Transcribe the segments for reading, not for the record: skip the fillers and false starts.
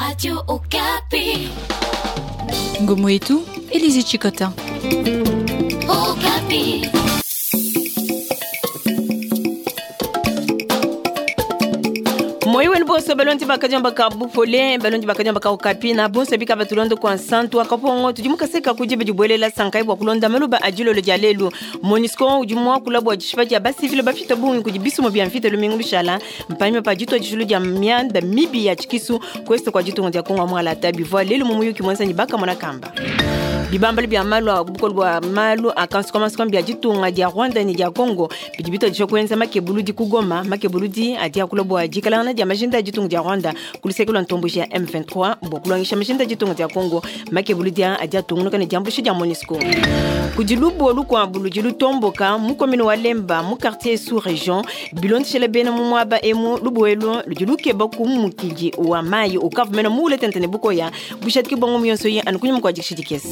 Radio Okapi. Ngomo yetu, Elise Chikota. Okapi. Moyi wenu bonso balondi bakadiomba ka bupole, balondi bakadiomba ka Okapi na bonso bika batulondo kwa nsantu akapongo tudi mukaseka kudibe dibuelela sankai bua kulonda maluba a dilolo dia lelu. MONUSCO udi muakula bua dishipa dia basivile bafita bungi kudi bisumo bia mvita lumingu lushala mpanyima pa ditua dijulu dia mianda mibi ya tshikisu kuest kua ditunga dia Kongo mualata bivua lelu mu muyuki muenza ne bakamona kamba. Bibambalo bia malu a bukole bua malu a kansukamansuka bia ditunga dia Rwanda ne dia Congo bidi bituadija kuenza makebuludi ku Goma. Makebuludi adi akula bua dikalangana dia majinda a ditunga dia Rwanda ku luseke lua ntomboji ya M23 bua kulongesha majinda a ditunga dia Congo. Makebuludi adi atungunuka ne diambuluisha dia MONUSCO. Kudi lubuwa lukuabu ludi lutomboka mu commune wa Lemba mu quartier sous region bilondeshela bena mu muaba emu. Lubuwa elu ludi lukeba ku mukidi wa mayi ukavua mene muule tente ne bukoya bushadiki bua ngumu yonso yi anu kunyima kua dikisha dikese.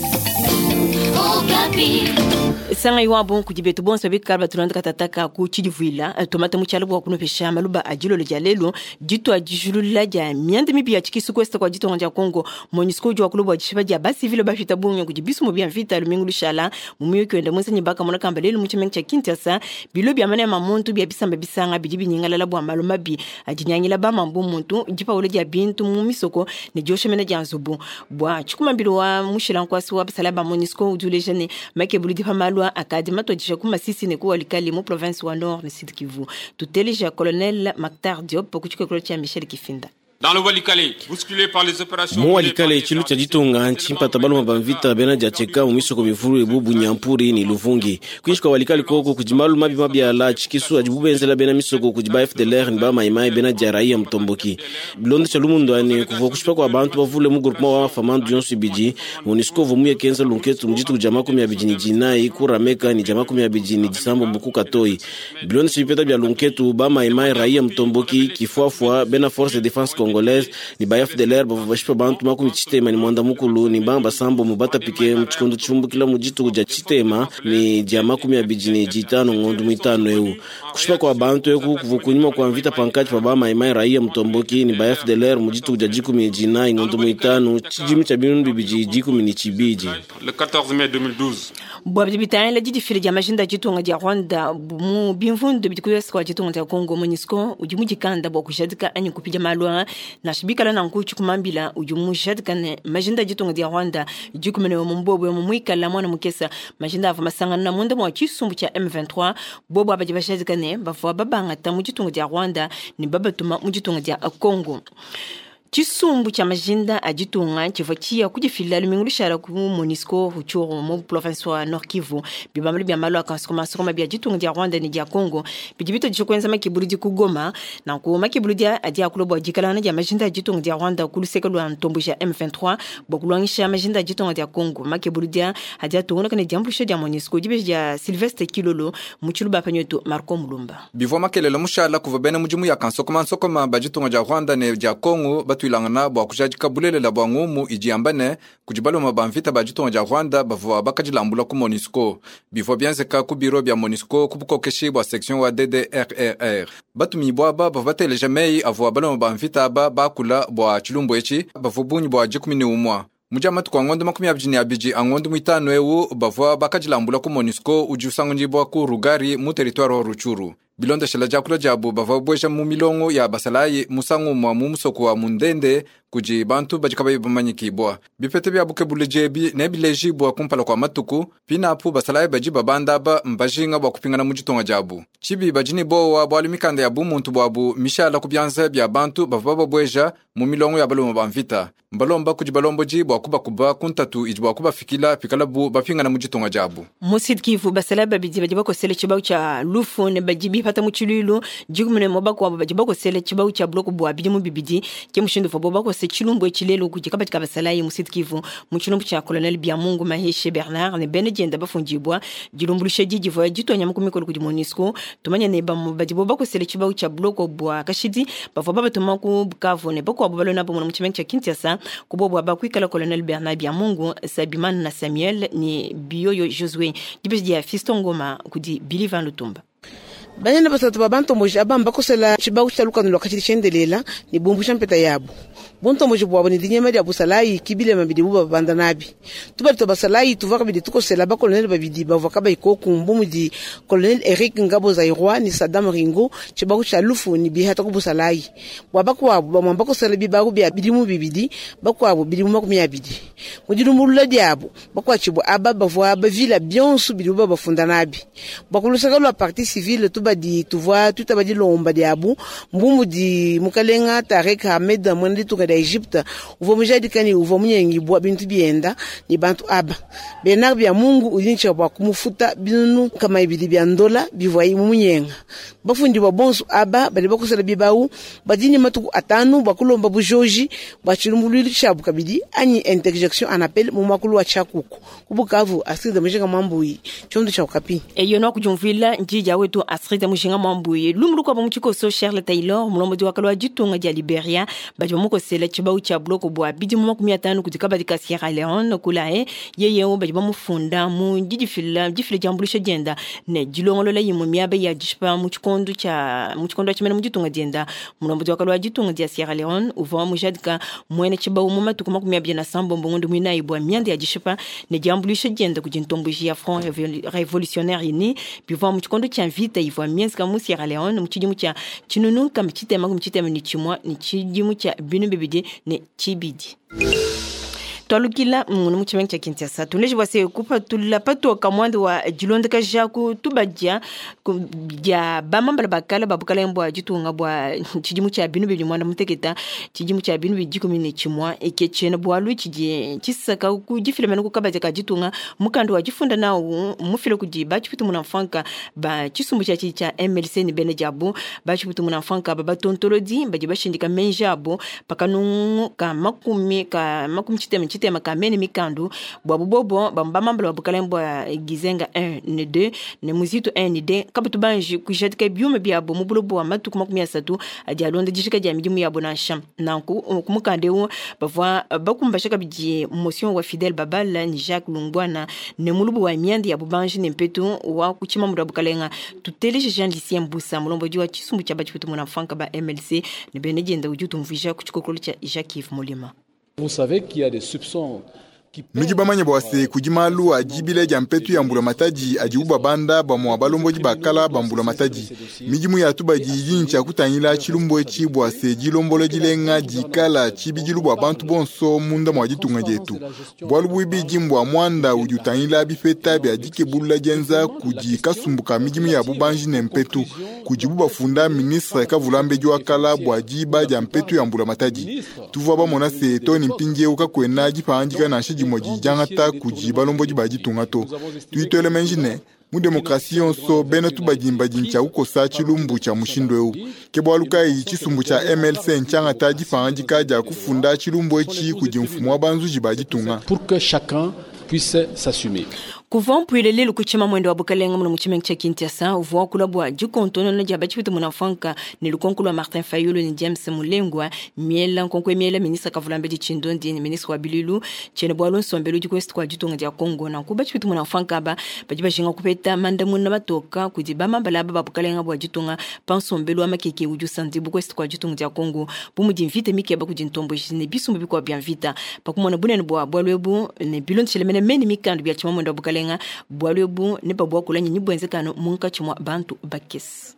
Sanga iwabo kudi betu bonso bikala batulonda katataka ku tshidivuila tomate mu tshialu bua kunupesha maluba a dilolo dia lelu ditua dijulula dia mianda mibi ya tshikisu ku est kua ditunga dia Congo. MONUSCO udi wakula bua dishipa dia basivile bafita bungi kudi bisumo bia mvita lumingu lushala mu muyuki wenda muenza ne bakamona kamba lelu mu tshimenga tshia Kinshasa. Bilo bia manema muntu bia bisamba bisanga bidi binyingalala bua malu mabi adinyangila ba mambu muntu dipawula dia bintu mu misoko ne diosha mena dia nzubu. Bua tshikumambilo wa mushilankwasi wa basala ba MONUSCO udi uleja ne makebuludi pa malu akadi matuadija ku Masisi ne ku Walikale mu province wa Nord ne Sud Kivu. Tuteleja Colonel Mactar Diop ku tshikokolo tshia Michel Kifinda. Dans le Walikale, bousculé par les opérations Mu Walikale tshilu tshia ditunga ntshimpata baluma ba mvita bena dia tsheka mu misoko mivulu ebu Bunyampuri ne Luvungi. Kuinshi kua Walikale koko kudi malu mabi mabi ala tshikisu adibu benzela bena misoko kudi ba FDLR ne ba Maimai bena dia raia mutomboki. Bilondesha lumundu ane kuvua kushipa kua bantu bavule mu groupement wa famandu yonso ibidi. MONUSCO uvua muye kenza lunketu mu dituku dia 29 ku Rameka ne dia 28 ku Katoyi. Bilondesha bipeta bia lunketu ba Maimai raia mutomboki kifuafua bena force de défense congolaise ni ba FDLR bavua bashipa bantu 64 ni banga basambo mu batapike mu tshikondo tshiumbukila mu dituku dia tshitema ni dia 25 ngondo muitanu eu. Kushipa kua bantu eku kuvua kunyima kua mvita pankatshi pa ba Maimai raia mutomboki ni ba FDLR mu dituku dia 14 ngondo muitanu tshidimu tshia 2012. Le 14 mai 2012. Bua bidi bitangila didifila dia majinda a ditunga dia Rwanda mu bimvundu bidi ku est kua ditunga dia Congo, MONUSCO udi mudikanda bua kujadika anyi kupidia malu aa nansha bikala nanku tshikumambila udi mujadika ne majinda a ditunga dia Rwanda dikumene mu mbobo mu muikala mwana mukesa majinda avua masangana na munda mua tshisumbu tshia M23 bobo abadi bajadika ne bavua babangata mu ditunga dia Rwanda ne babatuma mu ditunga dia Congo. Tshisumbu tshia majinda a ditunga tshivua tshiya kudifila lumingu lushala ku MONUSCO Rutshuru mu province wa Nord Kivu. Bibambalu bia malu a kansukamansuka bia ditunga dia Rwanda ne dia Congo bidi bituadija kuenza makebuludi ku Goma. Nanku makebuludi adi akula bua dikalangana dia majinda a ditunga dia Rwanda ku luseke lua ntomboji ya M23 bua kulongesha majinda a ditunga dia Congo. Makebuludi adi atungunuka ne diambuluisha dia MONUSCO dibeji dia Sylvestre Kilolo mu tshiluba panyetu Marco Mulumba. Bivua makelele mushala kuvua bena mudimu ya kansukamansuka ba ditunga dia Rwanda ne dia Congo batuilangana bua kujadika bulelela bua ngumu idi yamba ne kudi baluma ba mvita ba ditunga dia Rwanda bavua bakadilambula ku MONUSCO. Bivua bienzeka ku biro bia MONUSCO ku bukokeshi bua section wa DDRRR. Batumibua aba bavua bateleja meyi avua baluma ba mvita aba bakula bua tshilumbu etshi bavua bungi bua 11. Mu dia matuku a ngondo 22 a ngondo muitanu eu bavua bakadilambula ku MONUSCO udi usanganyibua ku Rugari mu territoire wa Rutshuru. Bilondeshela diakula diabu bavua bueja mu milongo ya basalayi musangu umue mu musoko wa Mundende kudi bantu badi kabayi bamanyikibua. Bipete bia bukebuludi ebi nebilejibua kumpala kua matuku pinapu basalayi badi babanda aba mbajinga bua kupingana mu ditunga diabu. Tshibi badi ne bowa bualu mikanda ya bumuntu buabu mishala ku bianza bia bantu bavua babueja mu milongo ya balume ba mvita. Mbalomba kudi balombodi bua kubakuba ku ntatu idi bua kubafikila pikalabu bapingana mu ditunga diabu. Mu Sud Kivu basalayi babidi badi bakosele tshibawu tshia lufu ne badi bipata mu tshiluilu 11 bakuabu badi bakosele tshibawu tshia buloko bua bidimu bibidi. Ke mushindu uvuabu bakose tshilumbu etshi lelu kudi kabadi ka basalayi mu Sud Kivu mu tshilumbu tshia Colonel Biamungu Maheshe Bernard ne bena dienda bafundibua dilumbuluisha di divua dituanya mu mikolo kudi MONUSCO. Tumanye ne bamue badibo bakosele tshibawu tshia buloko bua kashidi bavua babatuma ku Bukavu ne bakuabu balona bo mu tshimenga tshia Kinshasa ku bobo aba kuikala Colonel Bernard Biamungu, Sabimana na Samuel ne Biyoyo Josue. Dibeji dia Fiston Ngoma kudi Billy Van Lutumba. Banene basatu ba bantomboji aba mbakosela tshibawu tshia lukanu lua kashidi tshiendelela ne bumbusha mpeta yabu. Buntomboji bwabo ne dinyema dia busalayi ke bilema bidibu bababanda nabi. Tubadi tua basalayi tuvua kabidi tukosela ba-colonel babidi bavua kabayi koku bu mudi colonel Eric Ngabo Zaïrois ne Saddam Ringo tshibawu tshia lufu ne bihata ku busalayi. Bua bakuabu, bamue mbakosela bibawu bia bidimu bibidi, bakuabu bidimu 20. Mu dilumbulula diabu, bakuatshibue aba bavua bavila bionso bidibu babafunda nabi. Bua ku luseke lua partie civile, tubadi tuvua tuitaba dilomba diabu bu mudi mukalenga Tarek Ahmed muena ditunga dia Egypte uvua mujadika ne uvua munyengibua bintu bienda ne bantu aba. Bernard Biamungu udi ne tshia bua kumufuta 200 bia ndola bivuaye mumunyenga. Bafundibua bonso aba badi bakosela bibawu badi ne matuku 5 bua kulomba bujoji bua tshilumbuluilu tshiabu kabidi anyi interjection en appel mu muakulu wa tshiakuku. Ku Bukavu, Astrid Mujinga Mwambuyi, tshiondo tshia Okapi. Eyo no kujumvila njija wetu Astrid Mujinga Mwambuyi. Lumu lukuabu mu tshikoso Charles Taylor, mulombodi wa kale ditunga dia Liberia, badi bamukosela tshibawu tshia buloko bua bidimu 50 kudi kabadi ka Sierra Leone kulaye yeye badi bamufunda mu didifila difila diambuluisha dienda ne dilongolola imue miaba ya dishipa mu tshikondo tshia mu tshikondo tshimene mu ditunga dienda. Mulombodi wa kale ditunga dia Sierra Leone uvua mujadika muena tshibawu mu matuku 27 ngondo muinayi bua mianda ya dishipa ne diambuluisha dienda kudi ntomboji ya Front Revolutionnaire uni bivua mu tshikondo tshia mvita ivua mienzeka mu Sierra Leone mu tshidimu tshia 1961 ne tshidimu tshia 2002. Twalukila munu mu tshimenga tshia Kinshasa tuleje bua se kupatula patoka muanda wa dilondakaja ku tubadia dia bamambala bakala ba bukalenge bua ditunga bua tshidimu tshia 2016 tshidimu tshia 2011 eke tshiena bualu tshidi tshisaka ku difila mene ku kabadi ka ditunga mukanda wa difunda nawu mufile kudi batshiputu muna mfanka ba tshisumbu tshia tshia MLC ne bena diabu batshiputu muna mfanka ba batontolodi badi bashindika menji abo pakanungu ka makumi chitema ka mene mikandu bwa bubobo bambamambala bukalenge bwa Gizenga 1 ne 2 ne Muzito 1 ne 2 kabutu banji kujadika byuma byabo mu bulobo bwa matuku 30 adi alonda dishika dia midimu yabo nansha nanku kumukande wo bavwa bakumbasha kabidi motion wa Fidel Babala ni Jacques Lungwana ne mulubu wa miandi ya bubanji ne mpetu wa kuchima mu bukalenga tuteleje Jean Lucien Mbusa mulombodi wa chisumbu cha bachiputu muna mfanka ba MLC ne benedienda ujutumvija kuchikokolo cha Jacques Yves Molima. Vous savez qu'il y a des soupçons. Nudi bamanye bua se kudi malu adibile dia mpetu ya mbula matadi adi ubabanda bamua balombodi bakala ba mbula matadi. Midimu ya tubadi idi ntshia kutangila tshilumbu etshi bua se dilombolo dilenga dikala tshibidilu bua bantu bonso munda mua ditunga dietu. Bualu buibidi mbua muanda udi utangila bipeta bia dikebulula dienza kudi kasumbu ka midimu ya bubanji ne mpetu kudibu bafunda ministre Kavulambedi wa kala bua diba dia mpetu ya mbula matadi. Tuvua bamona se too ne mpindieu kakuena dipangadika nansha dimue dijangata kudi balombodi ba ditunga to. Tuitwele menji ne mu demokrasi yonso bena tubadimba ntshia kukosa tshilumbu tshia mushindu eu. Ke bualu kayi tshisumbu tshia MLC ntshiangata dipangadika dia kufunda tshilumbu etshi kudi mfumu wa banzuji ba ditunga. Pour que chacun puisse s'assumer. Kuva mpuile lelu kuchima mwendo wa bukalenga muno mu tshimenga tshia Kinshasa uvua kula bua dikontonona dia batshiputu muna mfanka ne lukonko lua Martin Fayulu ne James Mulengwa miela nkonko miela ministre Kavulambedi Tshindondi ne ministre wa Bililu tshiena bualu nsombelu udi ku kwa ditunga dia Congo nanku batshiputu muna mfanka aba badi bajinga kupeta mandamuna matoka kudi bamambala aba ba bukalenga bua ditunga pa nsombelu wa makeke udi usandibu ku kwa ditunga dia Congo bu mudi mvita mikeba kudi ntomboji ne bisumbu bikuabu bia mvita pakumona bunene bua bualu ebu ne bilondeshele mene mene mikandu bia tshima mwendo wa bukalenga bualu ebu ne babwakula nyinyi bwenzekano munkatshi mwa bantu bakesi.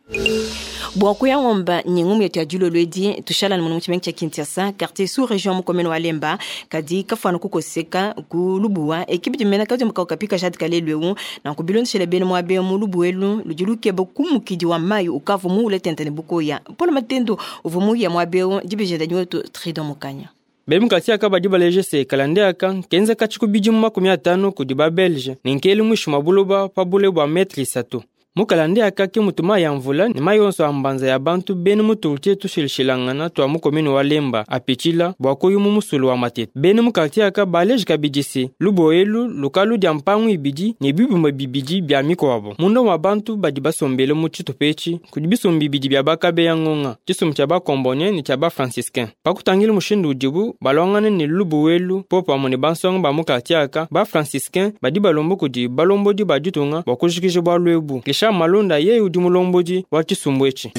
Bua kuyangomba nyingumu yetu ya dilolo edi tushalana muno mu tshimenga tshia Kinshasa quartier sous région mu commune wa Lemba kadi kafuana kukoseka ku lubuwa ekipe dimena kadi mukauka jadika lelu eu nanku bilondeshele bene muabe mu lubuwa elu ludi lukeba kumukidi wa mayi ukavu muule tente ne bukoya Paul Matendo uvua muya muabe eu dibejenda nyetu Tridon Mukanya. Bemukati aka badi baleje se kalande aka kenza katshiku bidimu 50 kudi ba Belge ne nkeli mwisho mwa buloba pa bule bua metri 3. Mukalande aka ke mutu mayi ya mvula ne mayi onso a mbanza ya bantu bene mutulte tushilishilangana tua mu commune wa Lemba apitshila bua kuyu mu musulu wa Matete. Bene mu quartier aka baleje kabidi se lubo elu lukalu dia mpangu ibidi ne bibumba bibidi bia mikuabo. Munda wa bantu badi basombele mu tshitupa etshi kudi bisumbu bibidi bia bakabeya ngonga, tshisumbu tshia bakombonien ne tshia bafranciscain. Pakutangila mushindu udibu balwangane ne lubu elu popamue ne bansonga ba mu quartier aka bafranciscain badi balomba kudi balombodi ba ditunga bua kujikija bualu ebu. Richard Malonda yeye udi mulombodi wa tshisumbu etshi.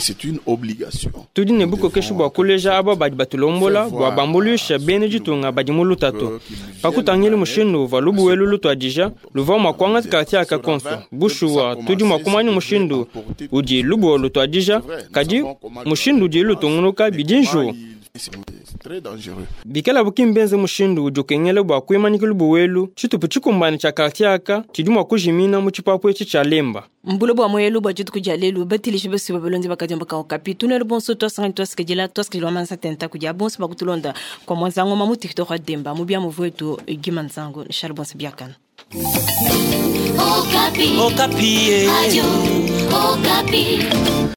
Tudi ne bukokeshi bua kuleja aba badi batulombola bua bambuluisha bena ditunga badi mu lutatu. Pakutangila mushindu uvua lubuwelu lutuadija, luvua mua kuangata quartier aka konso. Bushuwa, tudi mua kumanya mushindu udi lubuwa lutuadija, kadi mushindu udi lutungunuka bidi njiwu. Bikala ki mbenze mushindu udi ukengela bua kuimanyika lubuwelu, tshitupa tshikumbane tshia quartier aka tshidi mua kujimina mu tshipapu etshi tshia Lemba. Mbulo bua moyelu bua dituku dia lelu batilishi basuba balonzi bakadiomba ka Okapi. Tunelu bonso twasangani twasikidila twasikidila mansa tenta kudia bonso bakutulonda kwa mwanzango mamu tiktok demba mu bia muvuetu gima nzango nshal bonso biakana. Okapi. Okapi. Radio Okapi.